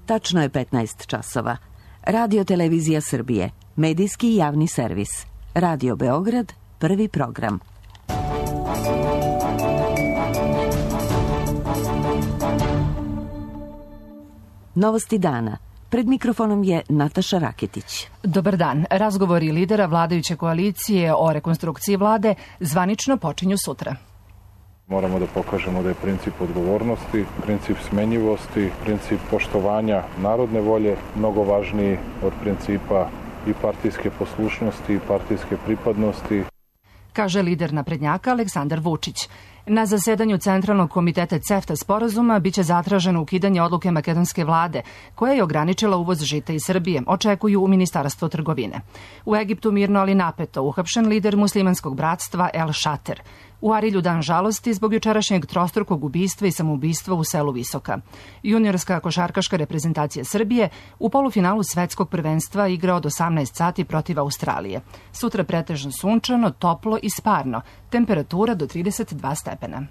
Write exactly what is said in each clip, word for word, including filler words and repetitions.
Tačno je petnaest časova. Radio Televizija Srbije, medijski javni servis. Radio Beograd, prvi program. Novosti dana. Pred mikrofonom je Nataša Raketić. Dobar dan. Razgovori lidera vladajuće koalicije o rekonstrukciji vlade zvanično počinju sutra. Moramo da pokažemo da je princip odgovornosti, princip smenjivosti, princip poštovanja narodne volje mnogo važniji od principa i partijske poslušnosti i partijske pripadnosti. Kaže lider naprednjaka Aleksandar Vučić. Na zasedanju Centralnog komiteta CEFTA sporazuma biće zatraženo ukidanje odluke makedonske vlade, koja je ograničila uvoz žita iz Srbije, očekuju u Ministarstvu trgovine. U Egiptu mirno ali napeto uhapšen lider muslimanskog bratstva El Šater. U Arilju dan žalosti zbog jučerašnjeg trostrukog ubistva i samoubistva u selu Visoka. Juniorska košarkaška reprezentacija Srbije u polufinalu svetskog prvenstva igra od osamnaest sati protiv Australije. Sutra pretežno sunčano, toplo i sparno. Temperatura do trideset dva stepena.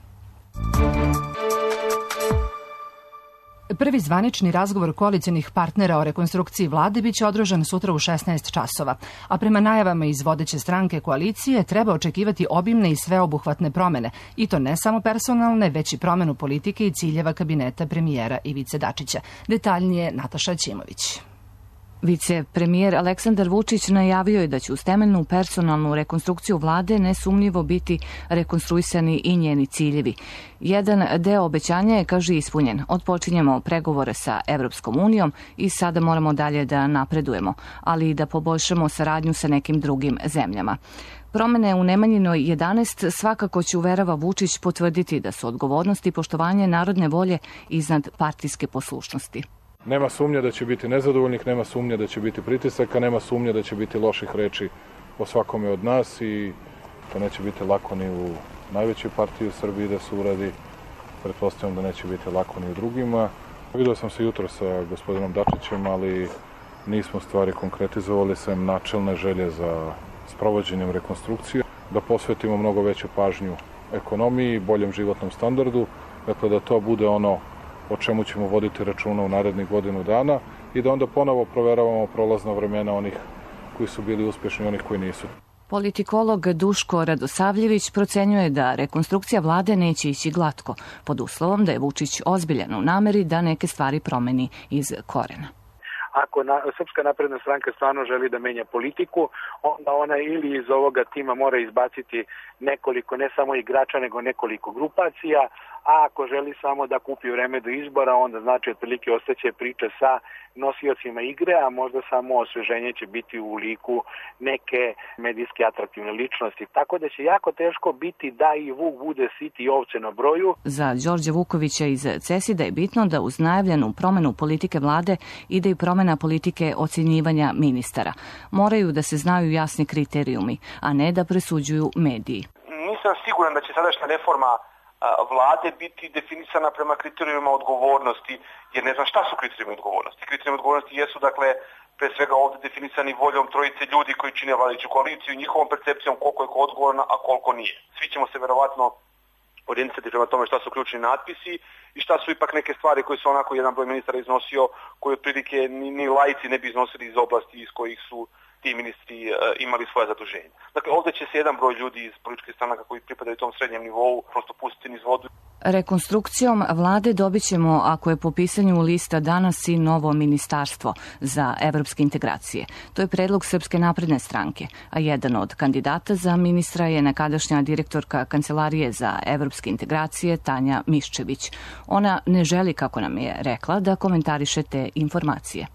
Prvi zvanični razgovor koalicionih partnera o rekonstrukciji vlade biće održan sutra u šesnaest časova, a prema najavama iz vodeće stranke koalicije treba očekivati obimne i sveobuhvatne promene, i to ne samo personalne, već i promenu politike i ciljeva kabineta premijera Ivice Dačića. Detaljnije Nataša Ćimović. Vicepremijer Aleksandar Vučić najavio je da će uz temeljnu personalnu rekonstrukciju vlade nesumnjivo biti rekonstruisani i njeni ciljevi. Jedan deo obećanja je, kaže, ispunjen. Otpočinjemo pregovore sa Evropskom unijom i sada moramo dalje da napredujemo, ali i da poboljšamo saradnju sa nekim drugim zemljama. Promene u Nemanjinoj jedanaest svakako će, uverava Vučić, potvrditi da su odgovornost i poštovanje narodne volje iznad partijske poslušnosti. Nema sumnje da će biti nezadovoljnih, nema sumnje da će biti pritisaka, nema sumnje da će biti loših reči o svakome od nas i to neće biti lako ni u najvećoj partiji u Srbiji da se uradi. Pretpostavljam da neće biti lako ni u drugima. Vidio sam se jutro sa gospodinom Dačićem, ali nismo stvari konkretizovali, sem načelne želje za sprovođenjem rekonstrukcije, da posvetimo mnogo veću pažnju ekonomiji, boljem životnom standardu, dakle da to bude ono o čemu ćemo voditi računa u narednih godinu dana i da onda ponovo proveravamo prolazna vremena onih koji su bili uspješni i onih koji nisu. Politikolog Duško Radosavljević procenjuje da rekonstrukcija vlade neće ići glatko, pod uslovom da je Vučić ozbiljan u nameri da neke stvari promeni iz korena. Ako na, Srpska napredna stranka stvarno želi da menja politiku, onda ona ili iz ovoga tima mora izbaciti nekoliko, ne samo igrača, nego nekoliko grupacija, a ako želi samo da kupi vreme do izbora, onda znači otprilike ostaće priča sa nosiocima igre, a možda samo osveženje će biti u liku neke medijski atraktivne ličnosti. Tako da će jako teško biti da i Vuk bude sit i ovce na broju. Za Đorđa Vukovića iz CESID-a je bitno da uz najavljenu promenu politike vlade ide i promena politike ocjenjivanja ministara. Moraju da se znaju jasni kriterijumi, a ne da presuđuju mediji. Nisam siguran da će sadašnja reforma vlade biti definisana prema kriterijima odgovornosti, jer ne znam šta su kriterijumi odgovornosti. Kriterijumi odgovornosti jesu, dakle, pre svega ovde definisani voljom trojice ljudi koji čine vladajuću koaliciju, njihovom percepcijom koliko je ko odgovorna, a koliko nije. Svi ćemo se verovatno orijentisati prema tome šta su ključni natpisi i šta su ipak neke stvari koje su onako jedan broj ministara iznosio, koje otprilike ni, ni laici ne bi iznosili iz oblasti iz kojih su ti ministri uh, imali svoje zaduženje. Dakle, ovdje će se jedan broj ljudi iz političkih stranaka koji pripadaju tom srednjem nivou prosto pustiti niz vodu. Rekonstrukcijom vlade dobit ćemo, ako je po pisanju lista danas, i novo ministarstvo za evropske integracije. To je predlog Srpske napredne stranke, a jedan od kandidata za ministra je nekadašnja direktorka Kancelarije za evropske integracije Tanja Miščević. Ona ne želi, kako nam je rekla, da komentariše te informacije.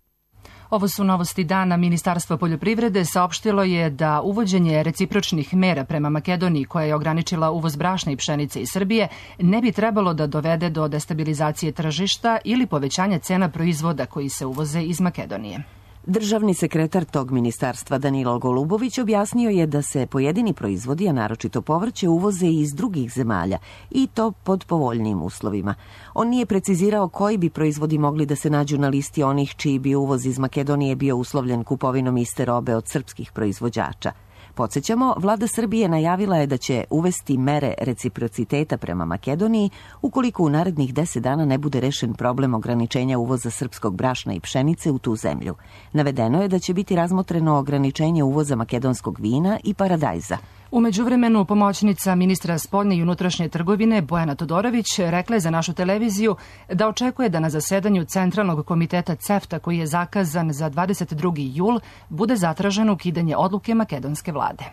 Ovo su novosti dana. Ministarstvo poljoprivrede saopštilo je da uvođenje recipročnih mera prema Makedoniji, koja je ograničila uvoz brašna i pšenice iz Srbije, ne bi trebalo da dovede do destabilizacije tržišta ili povećanja cena proizvoda koji se uvoze iz Makedonije. Državni sekretar tog ministarstva Danilo Golubović objasnio je da se pojedini proizvodi, a naročito povrće, uvoze iz drugih zemalja i to pod povoljnijim uslovima. On nije precizirao koji bi proizvodi mogli da se nađu na listi onih čiji bi uvoz iz Makedonije bio uslovljen kupovinom iste robe od srpskih proizvođača. Podsjećamo, vlada Srbije najavila je da će uvesti mere reciprociteta prema Makedoniji ukoliko u narednih deset dana ne bude rešen problem ograničenja uvoza srpskog brašna i pšenice u tu zemlju. Navedeno je da će biti razmotreno ograničenje uvoza makedonskog vina i paradajza. U međuvremenu, pomoćnica ministra spoljne i unutrašnje trgovine Bojana Todorović rekla je za našu televiziju da očekuje da na zasedanju Centralnog komiteta CEFTA, koji je zakazan za dvadeset drugi jul, bude zatraženo ukidanje odluke makedonske vlade.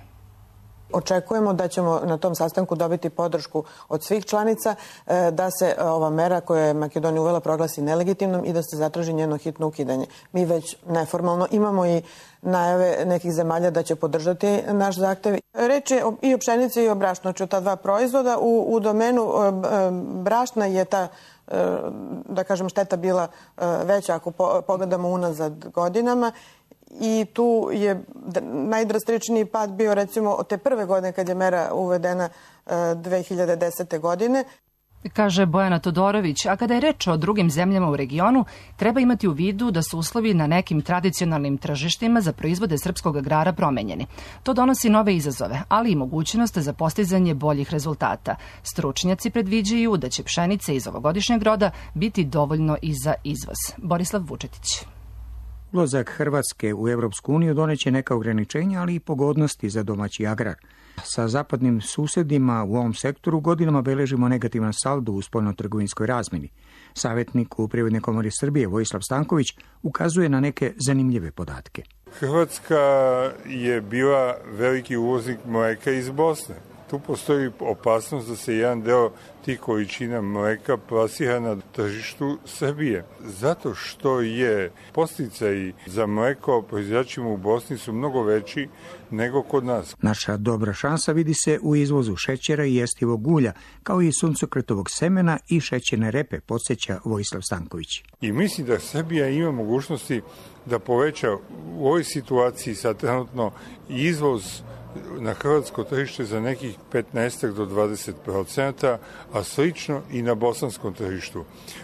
Očekujemo da ćemo na tom sastanku dobiti podršku od svih članica da se ova mera koja je Makedonija uvela proglasi nelegitimnom i da se zatraži njeno hitno ukidanje. Mi već neformalno imamo i najave nekih zemalja da će podržati naš zahtev. Reč je i o pšenici i o brašnu, znači o ta dva proizvoda. U, u domenu brašna je ta, da kažem, šteta bila veća ako pogledamo unazad godinama. I tu je najdrastičniji pad bio recimo od te prve godine kad je mera uvedena dve hiljade desete. godine. Kaže Bojana Todorović, a kada je reč o drugim zemljama u regionu, treba imati u vidu da su uslovi na nekim tradicionalnim tržištima za proizvode srpskog agrara promenjeni. To donosi nove izazove, ali i mogućnost za postizanje boljih rezultata. Stručnjaci predviđaju da će pšenice iz ovogodišnjeg roda biti dovoljno i za izvoz. Borislav Vučetić. Ulazak Hrvatske u Evropsku uniju doneće neka ograničenja, ali i pogodnosti za domaći agrar. Sa zapadnim susedima u ovom sektoru godinama beležimo negativan saldo u spoljnotrgovinskoj razmjeni. Savjetnik u Privrednoj komori Srbije Vojislav Stanković ukazuje na neke zanimljive podatke. Hrvatska je bila veliki uvoznik mleka iz Bosne. Tu postoji opasnost da se jedan deo tih količina mleka plasira na tržištu Srbije. Zato što je podsticaj za mleko proizvođačima u Bosni su mnogo veći nego kod nas. Naša dobra šansa vidi se u izvozu šećera i jestivog ulja, kao i suncokretovog semena i šećerne repe, podsjeća Vojislav Stanković. I mislim da Srbija ima mogućnosti da poveća u ovoj situaciji sa trenutno izvoz na hrvatsko tržište za nekih petnaest do dvadeset procenata, a slično i na bosanskom tržištu.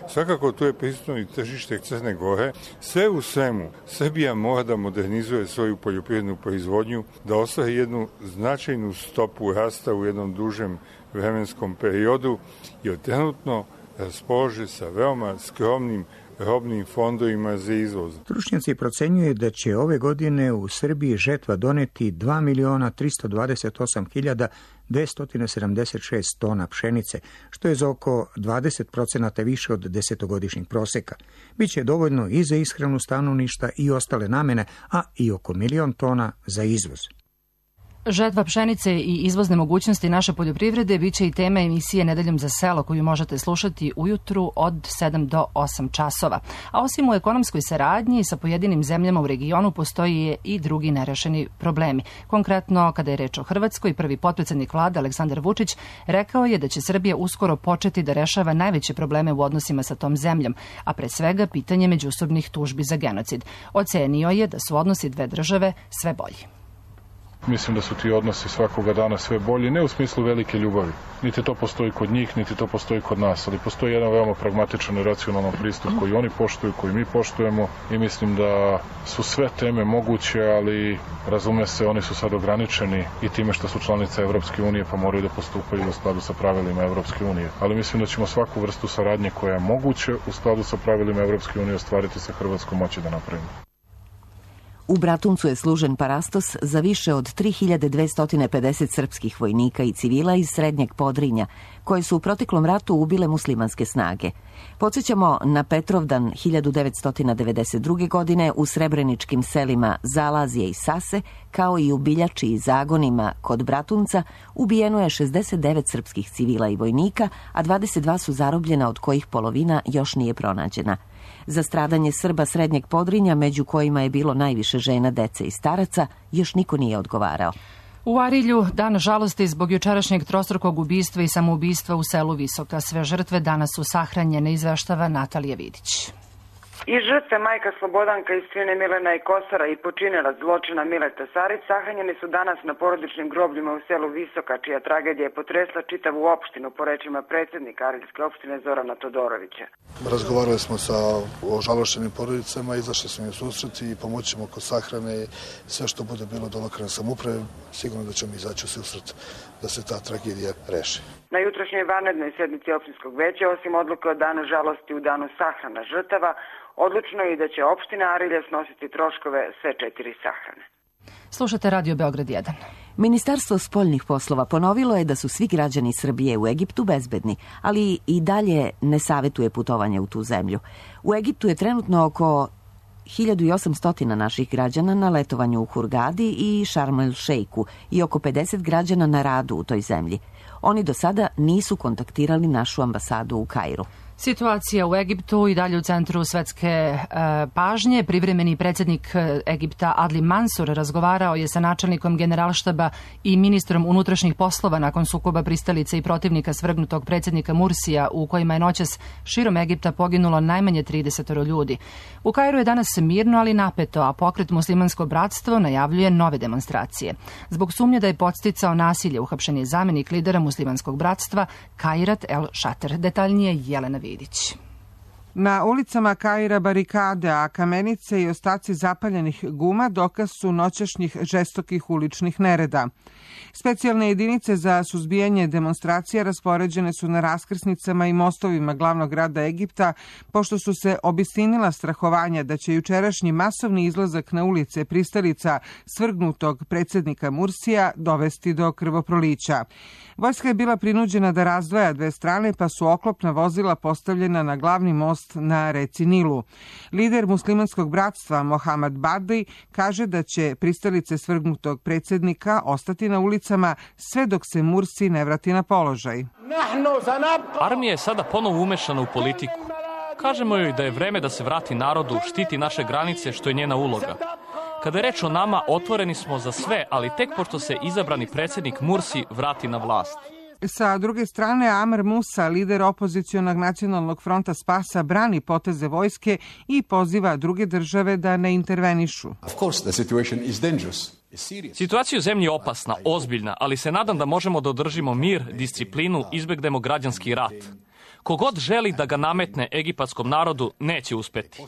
Svakako tu je prisutno i tržište Crne Gore. Sve u svemu, Srbija mora da modernizuje svoju poljoprivrednu proizvodnju, da ostvari jednu značajnu stopu rasta u jednom dužem vremenskom periodu, jer trenutno raspolože sa veoma skromnim robnim fondovima za izvoz. Stručnjaci procenjuju da će ove godine u Srbiji žetva doneti dva miliona tristo dvadeset osam hiljada dvesta sedamdeset šest tona pšenice, što je za oko dvadeset procenata više od desetogodišnjeg proseka. Biće dovoljno i za ishranu stanovništva i ostale namene, a i oko milion tona za izvoz. Žetva pšenice i izvozne mogućnosti naše poljoprivrede biće i tema emisije Nedeljom za selo, koju možete slušati ujutru od sedam do osam časova. A osim u ekonomskoj saradnji sa pojedinim zemljama u regionu postoji i drugi nerešeni problemi. Konkretno, kada je reč o Hrvatskoj, prvi potpredsednik vlade Aleksandar Vučić rekao je da će Srbija uskoro početi da rešava najveće probleme u odnosima sa tom zemljom, a pre svega pitanje međusobnih tužbi za genocid. Ocenio je da su odnosi dve države sve bolji. Mislim da su ti odnosi svakoga dana sve bolji, ne u smislu velike ljubavi. Niti to postoji kod njih, niti to postoji kod nas, ali postoji jedan veoma pragmatičan i racionalan pristup koji oni poštuju, koji mi poštujemo i mislim da su sve teme moguće, ali razume se, oni su sad ograničeni i time što su članice Evropske unije pa moraju da postupaju u skladu sa pravilima Evropske unije. Ali mislim da ćemo svaku vrstu saradnje koja je moguće u skladu sa pravilima Evropske unije ostvariti sa Hrvatskom moći da napravimo. U Bratuncu je služen parastos za više od tri hiljade dvesta pedeset srpskih vojnika i civila iz Srednjeg Podrinja, koji su u proteklom ratu ubile muslimanske snage. Podsjećamo na Petrovdan hiljadu devetsto devedeset druge. godine u srebreničkim selima Zalazije i Sase, kao i u Biljači i Zagonima kod Bratunca, ubijeno je šezdeset devet srpskih civila i vojnika, a dvadeset dva su zarobljena, od kojih polovina još nije pronađena. Za stradanje Srba Srednjeg Podrinja, među kojima je bilo najviše žena, dece i staraca, još niko nije odgovarao. U Arilju dan žalosti zbog jučerašnjeg trostrukog ubistva i samoubistva u selu Visoka. Sve žrtve danas su sahranjene, izveštava Natalija Vidić. I žrtve majka Slobodanka iz Crine Milena i Kosara i počinilac zločina Mileta Sarić sahranjeni su danas na porodičnim grobljima u selu Visoka, čija tragedija je potresla čitavu opštinu, po rečima predsjednika Arilske opštine Zorana Todorovića. Razgovarali smo sa ožalošćenim porodicama, izašli smo im u susret i pomoćemo kod sahrane i sve što bude bilo do lokalne samouprave, sigurno da ćemo izaći u susret da se ta tragedija reši. Na jutrošnjoj vanrednoj sednici opštinskog veća, osim odluke o danu žalosti u danu sahrana žrtava, odlučno je i da će opština Arilje snositi troškove sve četiri sahrane. Slušate Radio Beograd jedan. Ministarstvo spoljnih poslova ponovilo je da su svi građani Srbije u Egiptu bezbedni, ali i dalje ne savetuje putovanje u tu zemlju. U Egiptu je trenutno oko hiljadu osamsto naših građana na letovanju u Hurgadi i Šarm el Šejku i oko pedeset građana na radu u toj zemlji. Oni do sada nisu kontaktirali našu ambasadu u Kairu. Situacija u Egiptu i dalje u centru svetske e, pažnje. Privremeni predsjednik Egipta Adli Mansur razgovarao je sa načelnikom generalštaba i ministrom unutrašnjih poslova nakon sukoba pristalice i protivnika svrgnutog predsjednika Mursija, u kojima je noćas širom Egipta poginulo najmanje trideset ljudi. U Kairu je danas mirno, ali napeto, a pokret Muslimansko bratstvo najavljuje nove demonstracije. Zbog sumnje da je podsticao nasilje, uhapšen je zamenik lidera Muslimanskog bratstva Kairat el Shater. Detaljnije Jelena Vidić. Na ulicama Kaira barikade, a kamenice i ostaci zapaljenih guma dokaz su noćašnjih žestokih uličnih nereda. Specijalne jedinice za suzbijanje demonstracija raspoređene su na raskrsnicama i mostovima glavnog grada Egipta, pošto su se obistinila strahovanja da će jučerašnji masovni izlazak na ulice pristalica svrgnutog predsjednika Mursija dovesti do krvoprolića. Vojska je bila prinuđena da razdvaja dve strane, pa su oklopna vozila postavljena na glavni most na reci Nilu. Lider Muslimanskog bratstva Mohamed Badri kaže da će pristalice svrgnutog predsjednika ostati na ulicama sve dok se Mursi ne vrati na položaj. Armija je sada ponovo umešana u politiku. Kažemo joj da je vreme da se vrati narodu, štiti naše granice, što je njena uloga. Kada je reč o nama, otvoreni smo za sve, ali tek pošto se izabrani predsjednik Mursi vrati na vlast. Sa druge strane, Amr Musa, lider opozicionog nacionalnog fronta Spasa, brani poteze vojske i poziva druge države da ne intervenišu. Situacija u zemlji je opasna, ozbiljna, ali se nadam da možemo da održimo mir, disciplinu, izbegnemo građanski rat. Kogod želi da ga nametne egipatskom narodu, neće uspeti.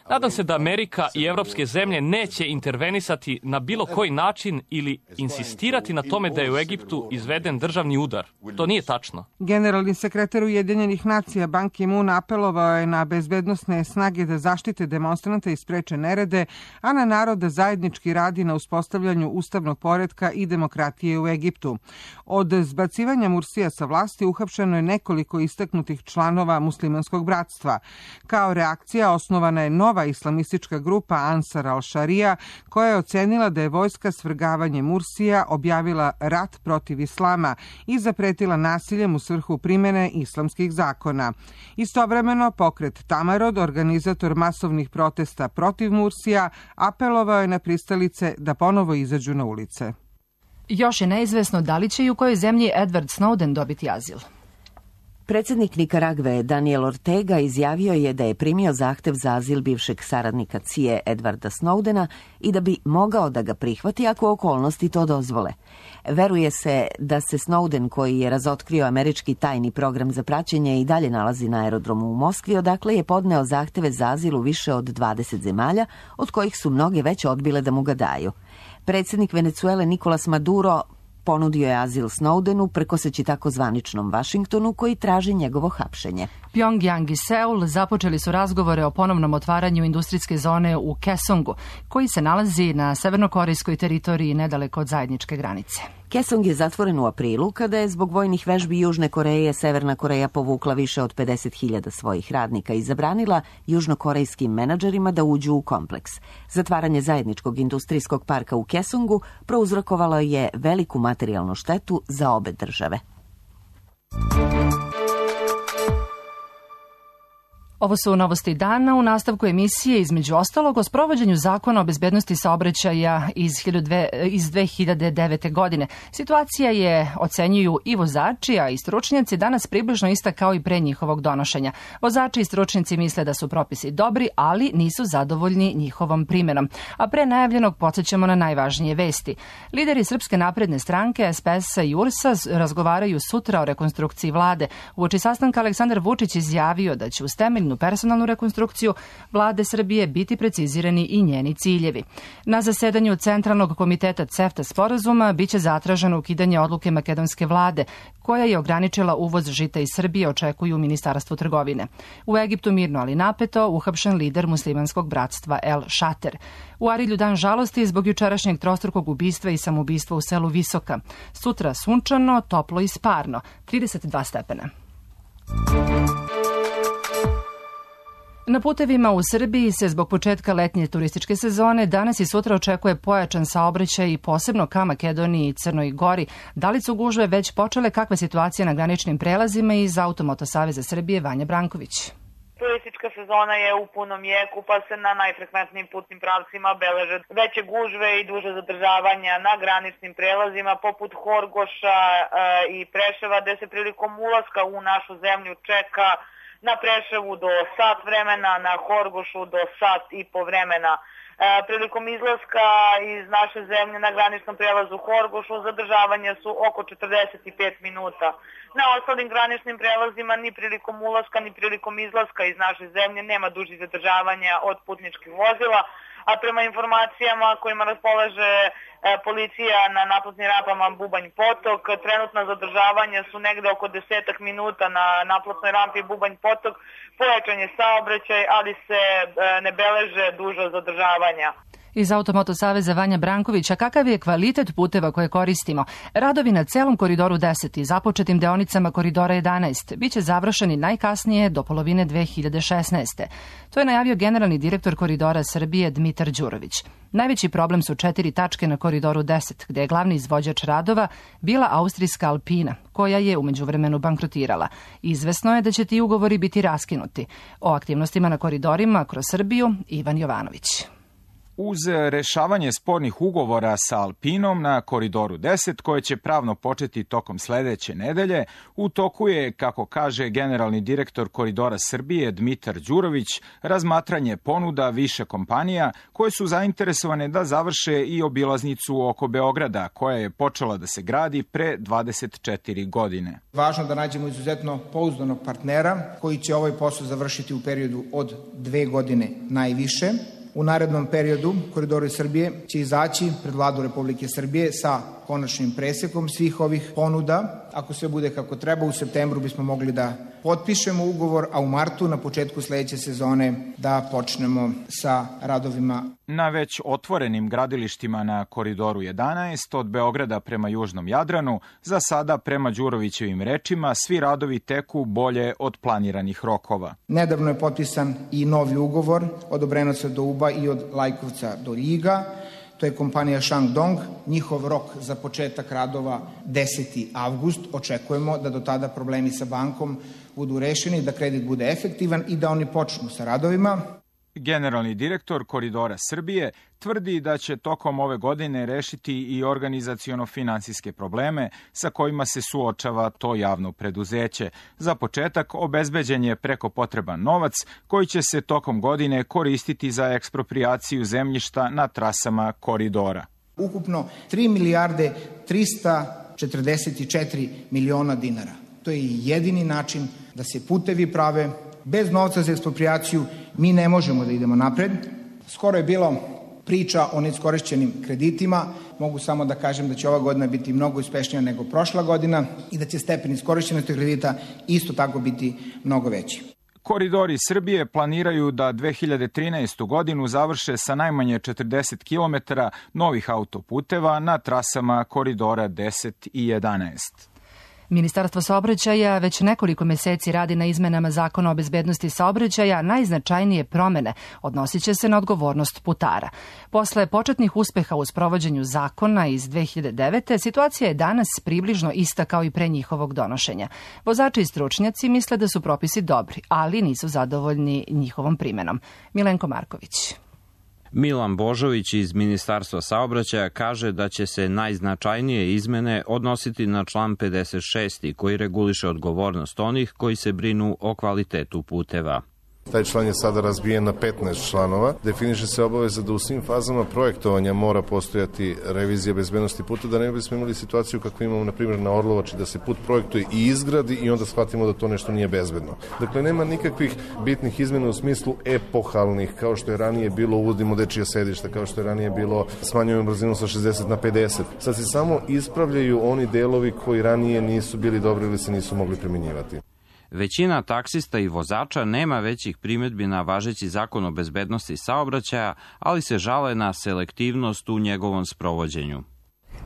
Nadam se da Amerika i evropske zemlje neće intervenisati na bilo koji način ili insistirati na tome da je u Egiptu izveden državni udar. To nije tačno. Generalni sekretar Ujedinjenih nacija Ban Ki-moon apelovao je na bezbednosne snage da zaštite demonstrante i spreče nerede, a na narod da zajednički radi na uspostavljanju ustavnog poretka i demokratije u Egiptu. Od zbacivanja Mursija sa vlasti uhapšeno je nekoliko istaknutih članova Muslimanskog bratstva. Kao reakcija osnovana je nova islamistička grupa Ansar al-Sharia, koja je ocenila da je vojska svrgavanjem Mursija objavila rat protiv islama i zapretila nasiljem u svrhu primjene islamskih zakona. Istovremeno, pokret Tamarod, organizator masovnih protesta protiv Mursija, apelovao je na pristalice da ponovo izađu na ulice. Još je neizvesno da li će i u kojoj zemlji Edward Snowden dobiti azil. Predsjednik Nikaragve Daniel Ortega izjavio je da je primio zahtev za azil bivšeg saradnika C I A Edwarda Snowdena i da bi mogao da ga prihvati ako okolnosti to dozvole. Veruje se da se Snowden, koji je razotkrio američki tajni program za praćenje, i dalje nalazi na aerodromu u Moskvi, odakle je podneo zahteve za azil u više od dvadeset zemalja, od kojih su mnoge već odbile da mu ga daju. Predsjednik Venecuele Nicolas Maduro ponudio je azil Snowdenu prekoseći tako zvaničnom Vašingtonu, koji traži njegovo hapšenje. Pyongyang i Seul započeli su razgovore o ponovnom otvaranju industrijske zone u Kaesongu, koji se nalazi na severnokorejskoj teritoriji nedaleko od zajedničke granice. Kaesong je zatvoren u aprilu, kada je zbog vojnih vežbi Južne Koreje Severna Koreja povukla više od pedeset hiljada svojih radnika i zabranila južnokorejskim menadžerima da uđu u kompleks. Zatvaranje zajedničkog industrijskog parka u Kaesongu prouzrokovalo je veliku materijalnu štetu za obe države. Ovo su novosti dana u nastavku emisije, između ostalog, o sprovođenju zakona o bezbednosti saobraćaja iz dve hiljade devete. godine. Situacija je, ocenjuju i vozači, a i stručnjaci, danas približno ista kao i pre njihovog donošenja. Vozači i stručnjaci misle da su propisi dobri, ali nisu zadovoljni njihovom primjenom. A pre najavljenog podsjećamo na najvažnije vesti. Lideri Srpske napredne stranke, S P S-a i U R S-a razgovaraju sutra o rekonstrukciji vlade. Uoči sastanka Aleksandar Vučić izjavio da će uz temeljnu personalnu rekonstrukciju vlade Srbije biti precizirani i njeni ciljevi. Na zasedanju Centralnog komiteta CEFTA sporazuma biće zatraženo ukidanje odluke makedonske vlade, koja je ograničila uvoz žita iz Srbije, očekuju u Ministarstvu trgovine. U Egiptu mirno ali napeto uhapšen lider muslimanskog bratstva El Šater. U Arilju dan žalosti zbog jučerašnjeg trostrukog ubistva i samoubistva u selu Visoka. Sutra sunčano, toplo i sparno, trideset dva stepena. Na putevima u Srbiji se zbog početka letnje turističke sezone danas i sutra očekuje pojačan saobraćaj i posebno ka Makedoniji i Crnoj Gori. Da li su gužve već počele, kakva situacija na graničnim prelazima? Iz Automoto Saveza Srbije Vanja Branković. Turistička sezona je u punom jeku, pa se na najfrekventnijim putnim pravcima beleže veće gužve i duže zadržavanja na graničnim prelazima poput Horgoša e, i Preševa, gde se prilikom ulaska u našu zemlju čeka na Preševu do sat vremena, na Horgošu do sat i po vremena. E, prilikom izlaska iz naše zemlje na graničnom prelazu Horgošu zadržavanja su oko četrdeset pet minuta. Na ostalim graničnim prelazima ni prilikom ulaska ni prilikom izlaska iz naše zemlje nema dužih zadržavanja od putničkih vozila, a prema informacijama kojima raspolaže e, policija na naplatnim rampama Bubanj Potok, trenutna zadržavanja su negde oko desetak minuta na naplatnoj rampi Bubanj Potok, pojačan je saobraćaj, ali se e, ne beleže duža zadržavanja. Iz Automoto Saveza Vanja Branković, a kakav je kvalitet puteva koje koristimo? Radovi na celom Koridoru deset i započetim deonicama Koridora jedanaest biće završeni najkasnije do polovine dve hiljade šesnaeste. To je najavio generalni direktor Koridora Srbije Dmitar Đurović. Najveći problem su četiri tačke na Koridoru deset, gde je glavni izvođač radova bila austrijska Alpina, koja je u međuvremenu bankrotirala. Izvesno je da će ti ugovori biti raskinuti. O aktivnostima na koridorima kroz Srbiju Ivan Jovanović. Uz rešavanje spornih ugovora sa Alpinom na Koridoru deset, koje će pravno početi tokom sledeće nedelje, u toku je, kako kaže generalni direktor Koridora Srbije Dmitar Đurović, razmatranje ponuda više kompanija koje su zainteresovane da završe i obilaznicu oko Beograda, koja je počela da se gradi pre dvadeset četiri godine. Važno da nađemo izuzetno pouzdanog partnera koji će ovaj posao završiti u periodu od dve godine najviše. U narednom periodu Koridori Srbije će izaći pred Vladu Republike Srbije sa konačnim presekom svih ovih ponuda. Ako sve bude kako treba, u septembru bismo mogli da potpišemo ugovor, a u martu, na početku sledeće sezone, da počnemo sa radovima. Na već otvorenim gradilištima na Koridoru jedanaest od Beograda prema Južnom Jadranu, za sada prema Đurovićevim rečima, svi radovi teku bolje od planiranih rokova. Nedavno je potpisan i novi ugovor od Obrenovca do Uba i od Lajkovca do Ljiga. To je kompanija Shandong. Njihov rok za početak radova deseti avgust. Očekujemo da do tada problemi sa bankom budu rešeni, da kredit bude efektivan i da oni počnu sa radovima. Generalni direktor Koridora Srbije tvrdi da će tokom ove godine rešiti i organizaciono-finansijske probleme sa kojima se suočava to javno preduzeće. Za početak obezbeđen je preko potreban novac koji će se tokom godine koristiti za eksproprijaciju zemljišta na trasama koridora. Ukupno tri milijarde trista četrdeset četiri miliona dinara. To je jedini način da se putevi prave. Bez novca za eksproprijaciju mi ne možemo da idemo napred. Skoro je bilo priča o neiskorišćenim kreditima. Mogu samo da kažem da će ova godina biti mnogo uspešnija nego prošla godina i da će stepen iskorišćenosti kredita isto tako biti mnogo veći. Koridori Srbije planiraju da dve hiljade trinaestu. godinu završe sa najmanje četrdeset kilometara novih autoputeva na trasama Koridora deset i jedanaest. Ministarstvo saobraćaja već nekoliko meseci radi na izmenama Zakona o bezbednosti saobraćaja. Najznačajnije promene odnosit će se na odgovornost putara. Posle početnih uspeha u sprovođenju zakona iz dve hiljade devete. situacija je danas približno ista kao i pre njihovog donošenja. Vozači i stručnjaci misle da su propisi dobri, ali nisu zadovoljni njihovom primenom. Milenko Marković. Milan Božović iz Ministarstva saobraćaja kaže da će se najznačajnije izmene odnositi na član pedeset šest koji reguliše odgovornost onih koji se brinu o kvalitetu puteva. Taj član je sada razbijen na petnaest članova. Definiše se obaveza da u svim fazama projektovanja mora postojati revizija bezbednosti puta, da ne bismo imali situaciju kakvu imamo na primjer na Orlovači, da se put projektuje i izgradi i onda shvatimo da to nešto nije bezbedno. Dakle, nema nikakvih bitnih izmena u smislu epohalnih, kao što je ranije bilo uvodimo dečija sedišta, kao što je ranije bilo smanjujemo brzinu sa šezdeset na pedeset. Sad se samo ispravljaju oni delovi koji ranije nisu bili dobri ili se nisu mogli primjenjivati. Većina taksista i vozača nema većih primjedbi na važeći zakon o bezbednosti saobraćaja, ali se žale na selektivnost u njegovom sprovođenju.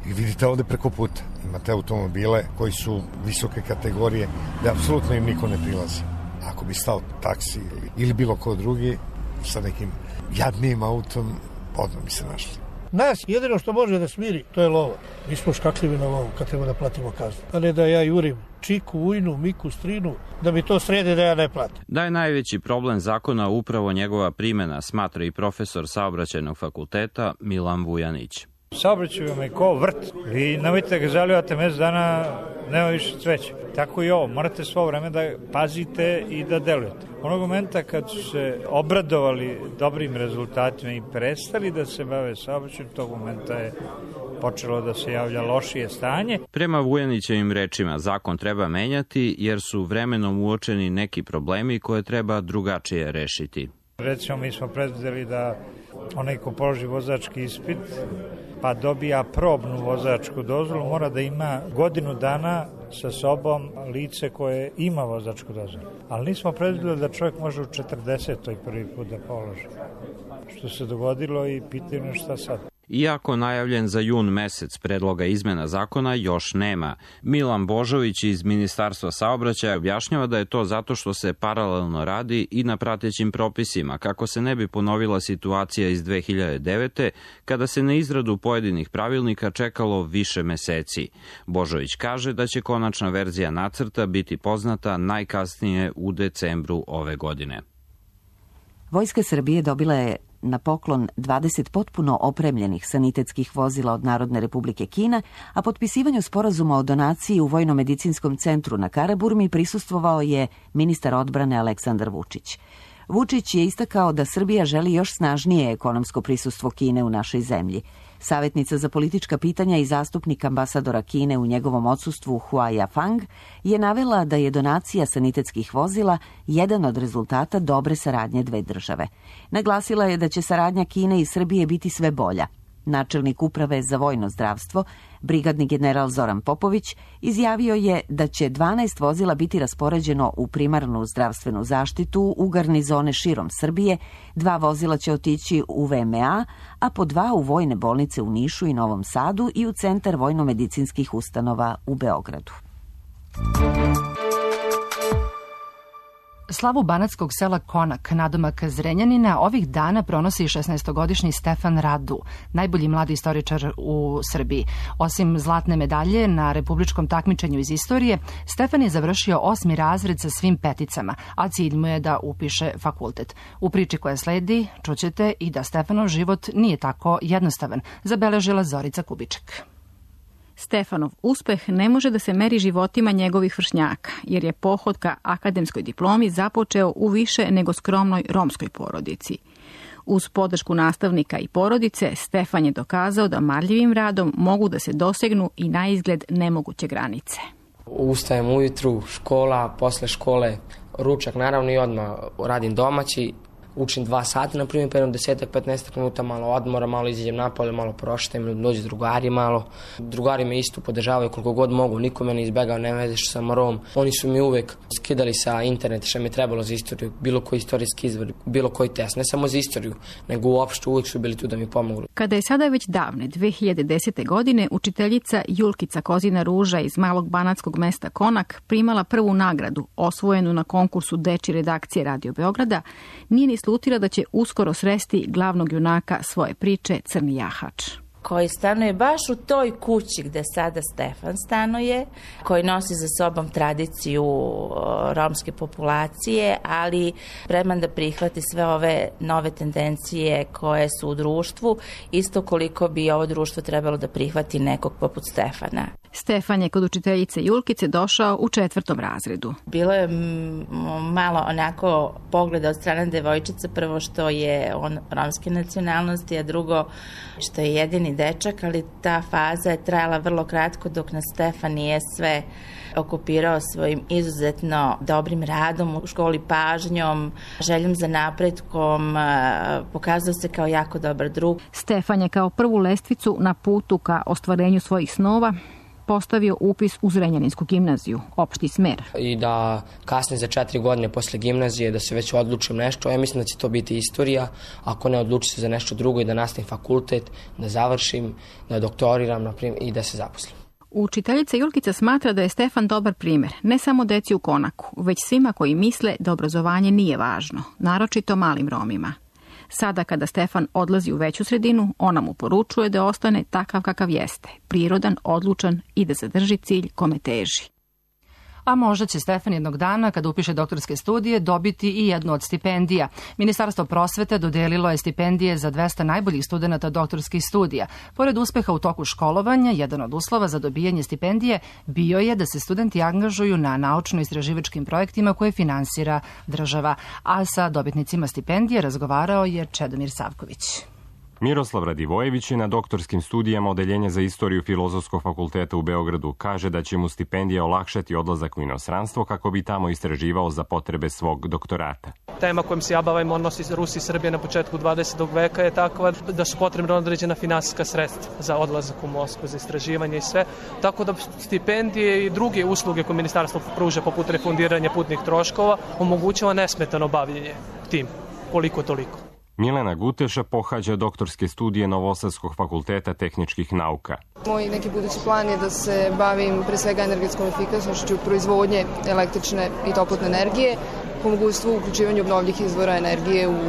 I vidite ovde preko puta, imate automobile koji su visoke kategorije, da apsolutno im niko ne prilazi. Ako bi stao taksi ili, ili bilo ko drugi sa nekim jadnijim autom, odmah bi se našli. Nas jedino što može da smiri, to je lova. Mi smo škakljivi na lovu kad treba da platimo kaznu. A ne da ja jurim čiku, ujnu, miku, strinu, da mi to srede da ja ne platim. Da je najveći problem zakona upravo njegova primjena, smatra i profesor saobraćajnog fakulteta Milan Vujanić. Saobraćaj vam je ko vrt. Vi nemojte da ga zalivate mesec dana, nema više cveća. Tako i ovo, morate svo vreme da pazite i da delujete. Onog momenta kad su se obradovali dobrim rezultatima i prestali da se bave saobraćajem, tog momenta je počelo da se javlja lošije stanje. Prema Vujanićevim rečima, zakon treba menjati jer su vremenom uočeni neki problemi koje treba drugačije rešiti. Recimo, mi smo predvideli da onaj ko položi vozački ispit pa dobija probnu vozačku dozvolu, mora da ima godinu dana sa sobom lice koje ima vozačku dozvolu. Ali nismo predvideli da čovjek može u četrdesetoj prvi put da položi. Što se dogodilo i pitanje šta sad. Iako najavljen za jun mesec predloga izmena zakona još nema, Milan Božović iz Ministarstva saobraćaja objašnjava da je to zato što se paralelno radi i na pratećim propisima, kako se ne bi ponovila situacija iz dve hiljade devete. kada se na izradu pojedinih pravilnika čekalo više meseci. Božović kaže da će konačna verzija nacrta biti poznata najkasnije u decembru ove godine. Vojska Srbije dobila je na poklon dvadeset potpuno opremljenih sanitetskih vozila od Narodne Republike Kina, a potpisivanju sporazuma o donaciji u Vojno-medicinskom centru na Karaburmi prisustvovao je ministar odbrane Aleksandar Vučić. Vučić je istakao da Srbija želi još snažnije ekonomsko prisustvo Kine u našoj zemlji. Savjetnica za politička pitanja i zastupnik ambasadora Kine u njegovom odsustvu Hua Yafang je navela da je donacija sanitetskih vozila jedan od rezultata dobre saradnje dve države. Naglasila je da će saradnja Kine i Srbije biti sve bolja. Načelnik uprave za vojno zdravstvo, brigadni general Zoran Popović, izjavio je da će dvanaest vozila biti raspoređeno u primarnu zdravstvenu zaštitu u garnizone širom Srbije, dva vozila će otići u V M A, a po dva u vojne bolnice u Nišu i Novom Sadu i u centar vojno-medicinskih ustanova u Beogradu. Slavu banatskog sela Konak, nadomak Zrenjanina, ovih dana pronosi šesnaestogodišnji Stefan Radu, najbolji mladi istoričar u Srbiji. Osim zlatne medalje na republičkom takmičenju iz istorije, Stefan je završio osmi razred sa svim peticama, a cilj mu je da upiše fakultet. U priči koja sledi čućete i da Stefanov život nije tako jednostavan, zabeležila Zorica Kubiček. Stefanov uspeh ne može da se meri životima njegovih vršnjaka, jer je pohod ka akademskoj diplomi započeo u više nego skromnoj romskoj porodici. Uz podršku nastavnika i porodice, Stefan je dokazao da marljivim radom mogu da se dosegnu i na izgled nemoguće granice. Ustajem ujutru, škola, posle škole, ručak naravno i odmah radim domaći. učim dva sata, na primjer, pa jednom desetak, petnaestak minuta malo odmora, malo izađem napolje, malo prošetam, dođe drugari malo. Drugari me isto podržavaju koliko god mogu, niko me ne izbegao, ne veze što sam Rom. Oni su mi uvek skidali sa interneta što mi je trebalo za istoriju, bilo koji istorijski izvor, bilo koji test, ne samo za istoriju, nego uopšte uvek su bili tu da mi pomogli. Kada je sada već davne dve hiljade desete. godine učiteljica Julkica Kozina Ruža iz malog banatskog mesta Konak primala prvu nagradu, osvojenu na konkursu dečje redakcije Radio Beograda, nije ni slutila da će uskoro sresti glavnog junaka svoje priče Crni jahač, koji stanuje baš u toj kući gde sada Stefan stanuje, koji nosi za sobom tradiciju romske populacije, ali spreman da prihvati sve ove nove tendencije koje su u društvu, isto koliko bi ovo društvo trebalo da prihvati nekog poput Stefana. Stefan je kod učiteljice Julkice došao u četvrtom razredu. Bilo je malo onako pogleda od strane devojčica, prvo što je on romske nacionalnosti, a drugo što je jedini dečak, ali ta faza je trajala vrlo kratko dok nas Stefan nije sve okupirao svojim izuzetno dobrim radom u školi, pažnjom, željom za napretkom, pokazao se kao jako dobar drug. Stefan je kao prvu lestvicu na putu ka ostvarenju svojih snova postavio upis u Zrenjaninsku gimnaziju, opšti smer. I da kasnije za četiri godine posle gimnazije da se već odlučim nešto, ja mislim da će to biti istorija, ako ne odlučim se za nešto drugo i da nastavim fakultet, da završim, da doktoriram naprimjer, i da se zaposlim. Učiteljica Julkica smatra da je Stefan dobar primjer, ne samo deci u Konaku, već svima koji misle da obrazovanje nije važno, naročito malim Romima. Sada kada Stefan odlazi u veću sredinu, ona mu poručuje da ostane takav kakav jeste, prirodan, odlučan i da zadrži cilj kome teži. A možda će Stefan jednog dana, kada upiše doktorske studije, dobiti i jednu od stipendija. Ministarstvo prosvete dodelilo je stipendije za dvesta najboljih studenata doktorskih studija. Pored uspeha u toku školovanja, jedan od uslova za dobijanje stipendije bio je da se studenti angažuju na naučno-istraživačkim projektima koje finansira država. A sa dobitnicima stipendije razgovarao je Čedomir Savković. Miroslav Radivojević je na doktorskim studijama Odeljenja za istoriju Filozofskog fakulteta u Beogradu. Kaže da će mu stipendija olakšati odlazak u inostranstvo kako bi tamo istraživao za potrebe svog doktorata. Tema kojom se ja bavim, odnosi Rusije i Srbije na početku dvadesetog veka, je takva da su potrebna određena finansijska sredstva za odlazak u Moskvu, za istraživanje i sve. Tako da stipendije i druge usluge koje ministarstvo pruža, poput refundiranja putnih troškova, omogućava nesmetano bavljenje tim, koliko toliko. Milena Guteša pohađa doktorske studije Novosadskog fakulteta tehničkih nauka. Moj neki budući plan je da se bavim pre svega energetskom efikasnošću proizvodnje električne i toplotne energije, po mogućstvu uključivanja obnovljivih izvora energije u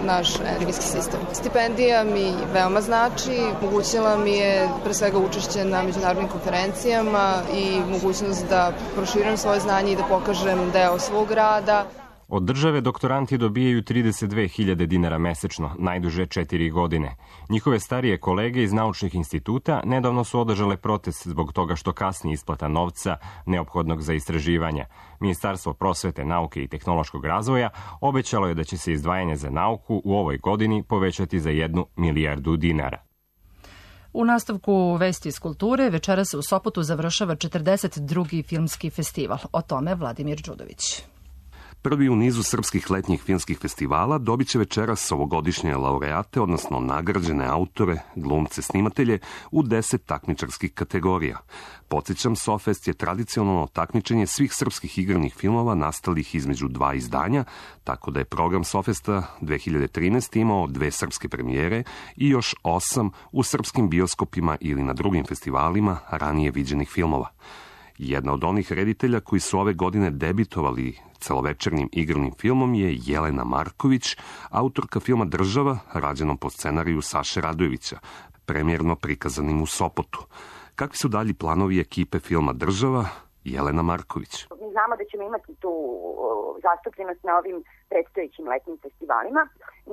naš energetski sistem. Stipendija mi veoma znači, omogućila mi je pre svega učešće na međunarodnim konferencijama i mogućnost da proširim svoje znanje i da pokažem deo svog rada. Od države doktoranti dobijaju trideset dve hiljade dinara mesečno, najduže četiri godine. Njihove starije kolege iz naučnih instituta nedavno su održale protest zbog toga što kasni isplata novca neophodnog za istraživanja. Ministarstvo prosvete, nauke i tehnološkog razvoja obećalo je da će se izdvajanje za nauku u ovoj godini povećati za jednu milijardu dinara. U nastavku Vesti iz kulture večera se u Sopotu završava četrdeset drugi filmski festival. O tome Vladimir Đudović. Prvi u nizu srpskih letnjih filmskih festivala dobit će večeras ovogodišnje laureate, odnosno nagrađene autore, glumce, snimatelje u deset takmičarskih kategorija. Podsjećam, Sofest je tradicionalno takmičenje svih srpskih igranih filmova nastalih između dva izdanja, tako da je program Sofesta dve hiljade trinaeste. imao dve srpske premijere i još osam u srpskim bioskopima ili na drugim festivalima ranije viđenih filmova. Jedna od onih reditelja koji su ove godine debitovali celovečernjim igranim filmom je Jelena Marković, autorka filma Država, rađenom po scenariju Saše Radojevića, premijerno prikazanim u Sopotu. Kakvi su dalji planovi ekipe filma Država? Jelena Marković. Mi znamo da ćemo imati tu zastupljenost na ovim predstojećim letnim festivalima.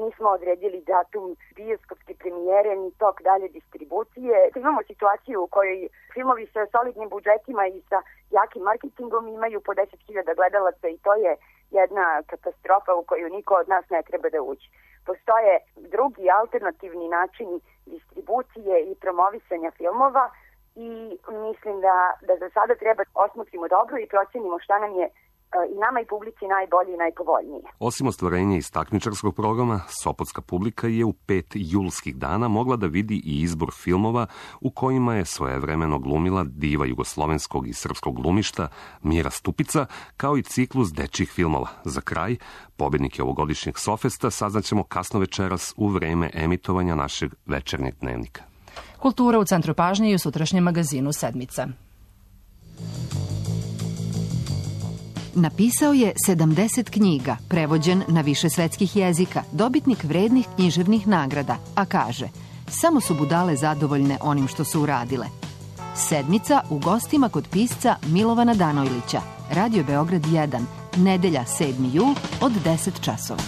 Nismo odredili datum bioskopske premijere ni tok dalje distribucije. Imamo situaciju u kojoj filmovi sa solidnim budžetima i sa jakim marketingom imaju po deset hiljada gledalaca i to je jedna katastrofa u koju niko od nas ne treba da uđe. Postoje drugi alternativni načini distribucije i promovisanja filmova i mislim da, da za sada treba osmotrimo dobro i procenimo šta nam je i nama i publici najbolje i najpovoljnije. Osim ostvarenja iz takmičarskog programa, sopotska publika je u pet julskih dana mogla da vidi i izbor filmova u kojima je svojevremeno glumila diva jugoslovenskog i srpskog glumišta Mira Stupica, kao i ciklus dečjih filmova. Za kraj, pobednike ovogodišnjeg Sofesta saznaćemo kasno večeras u vreme emitovanja našeg večernjeg dnevnika. Kultura u centru pažnje i u sutrašnjem magazinu Sedmica. Napisao je sedamdeset knjiga, prevođen na više svetskih jezika, dobitnik vrednih književnih nagrada, a kaže: samo su budale zadovoljne onim što su uradile. Sedmica u gostima kod pisca Milovana Danojlića. Radio Beograd jedan, nedelja sedmi jul od deset časova.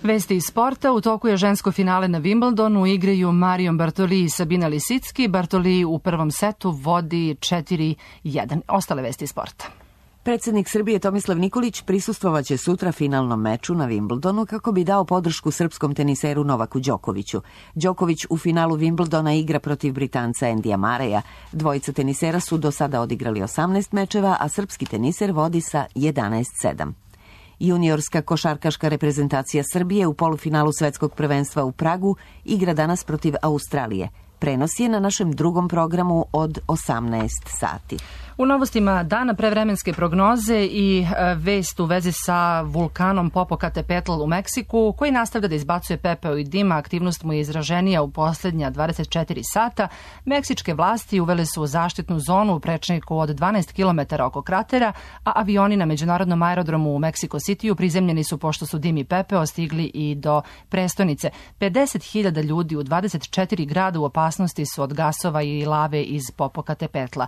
Vesti iz sporta. U toku je žensko finale na Wimbledonu. Igraju Marion Bartoli i Sabina Lisicki. Bartoli u prvom setu vodi četiri jedan. Ostale vesti iz sporta. Predsednik Srbije Tomislav Nikolić prisustvovaće sutra finalnom meču na Wimbledonu kako bi dao podršku srpskom teniseru Novaku Đokoviću. Đoković u finalu Wimbledona igra protiv Britanca Endija Mareja. Dvojica tenisera su do sada odigrali osamnaest mečeva, a srpski teniser vodi sa jedanaest sedam. Juniorska košarkaška reprezentacija Srbije u polufinalu svetskog prvenstva u Pragu igra danas protiv Australije. Prenos je na našem drugom programu od osamnaest sati. U novostima dana prevremenske prognoze i vest u vezi sa vulkanom Popocatépetl u Meksiku, koji nastavlja da izbacuje pepeo i dim. Aktivnost mu je izraženija u posljednja dvadeset četiri sata. Meksičke vlasti uvele su zaštitnu zonu u prečniku od dvanaest kilometara oko kratera, a avioni na međunarodnom aerodromu u Meksiko Citiju prizemljeni su pošto su dim i pepeo stigli i do prestonice. pedeset hiljada ljudi u dvadeset četiri grada u opasnosti su od gasova i lave iz Popocatépetla.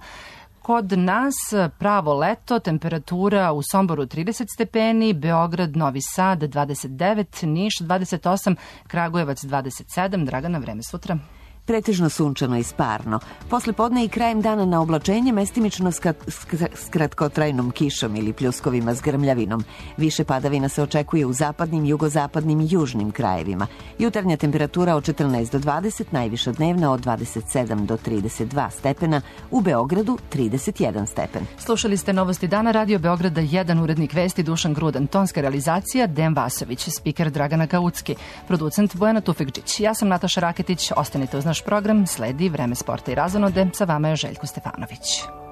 Kod nas pravo leto, temperatura u Somboru trideset stepeni, Beograd, Novi Sad dvadeset devet, Niš dvadeset osam, Kragujevac dvadeset sedam. Dragana, vreme sutra. Pretežno sunčano i sparno. Posle podne i krajem dana na oblačenje, mestimično s kratkotrajnom kišom ili pljuskovima s grmljavinom. Više padavina se očekuje u zapadnim, jugozapadnim i južnim krajevima. Jutarnja temperatura od četrnaest do dvadeset, najviša dnevna od dvadeset sedam do trideset dva stepena, u Beogradu trideset jedan stepen. Slušali ste novosti dana Radio Beograda jedan, urednik vesti Dušan Grudan, tonska realizacija Dejan Vasović, spiker Dragana Kaucki, producent Bojana Tufekđić. Ja sam Nataša Raketić, ostanite uz naš program, sledi vreme sporta i razonode, sa vama je Željko Stefanović.